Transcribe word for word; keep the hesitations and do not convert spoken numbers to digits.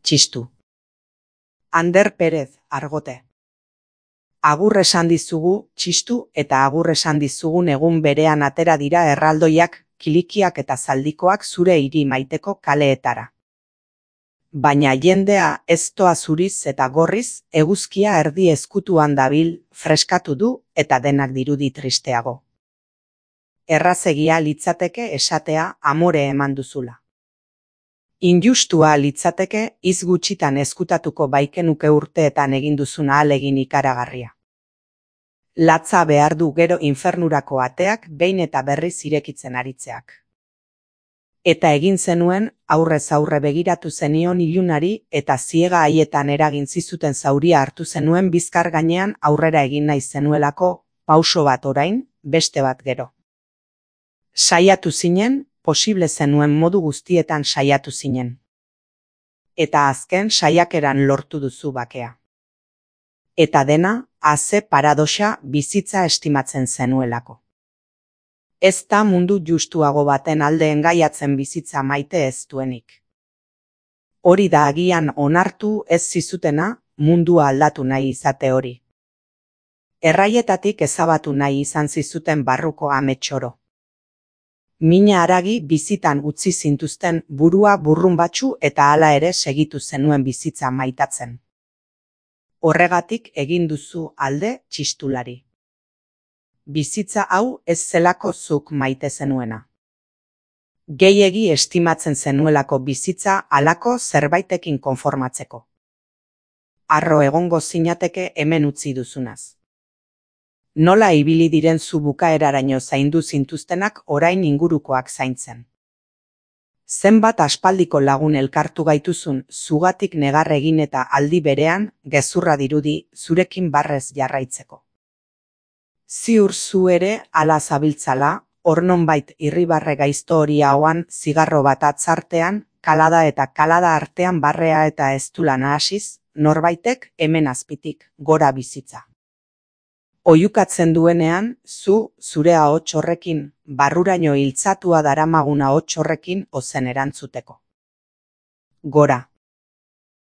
txistu. Ander Perez, Argote. Agur esan dizugu, txistu, eta agur esan dizugun egun berean atera dira erraldoiak, kilikiak eta zaldikoak zure hiri maiteko kaleetara. Baina jendea ez doa zuriz eta gorriz, eguzkia erdi ezkutuan dabil, freskatu du eta denak dirudi tristeago. Errazegia litzateke esatea amore eman duzula. Injustua litzateke hitz gutxitan ezkutatuko baikenuke urteetan egin duzun ahalegin ikaragarria. Latza behar du gero infernurako ateak behin eta berriz irekitzen aritzeak. Eta egin zenuen, aurrez aurre begiratu zenion ilunari eta ziega haietan eragin zizuten zauria hartu zenuen bizkar gainean aurrera egin nahi zenuelako, pauso bat orain, beste bat gero. Saiatu zinen, posible zenuen modu guztietan saiatu zinen. Eta azken saiakeran lortu duzu bakea. Eta dena, haze paradoxa bizitza estimatzen zenuelako. Ez da mundu justuago baten alde engaiatzen bizitza maite ez duenik. Hori da agian onartu ez zizutena, mundua aldatu nahi izate hori. Erraietatik ezabatu nahi izan zizuten barruko ametsoro. Mina haragi bizitan utzi zintuzten burua burrunbatsu eta hala ere segitu zenuen bizitza maitatzen. Horregatik egin duzu alde txistulari. Bizitza hau ez zelako zuk maite zenuena. Gehiegi estimatzen zenuelako bizitza halako zerbaitekin konformatzeko. Harro egongo zinateke hemen utzi duzunaz. Nola ibili diren zu bukaeraraino zaindu zintuztenak orain ingurukoak zaintzen. Zenbat aspaldiko lagun elkartu gaituzun zugatik negar egin eta aldi berean gezurra dirudi zurekin barrez jarraitzeko. Ziur zu ere ala zabiltzala, hor nonbait irribarre gaizto hori hauan zigarro bat atzartean, kalada eta kalada artean barrea eta eztula nahasiz, norbaitek hemen azpitik gora bizitza. Oihukatzen duenean, zu, zure ahots horrekin, barruraino hiltzatua daramagun ahots horrekin ozen erantzuteko. Gora.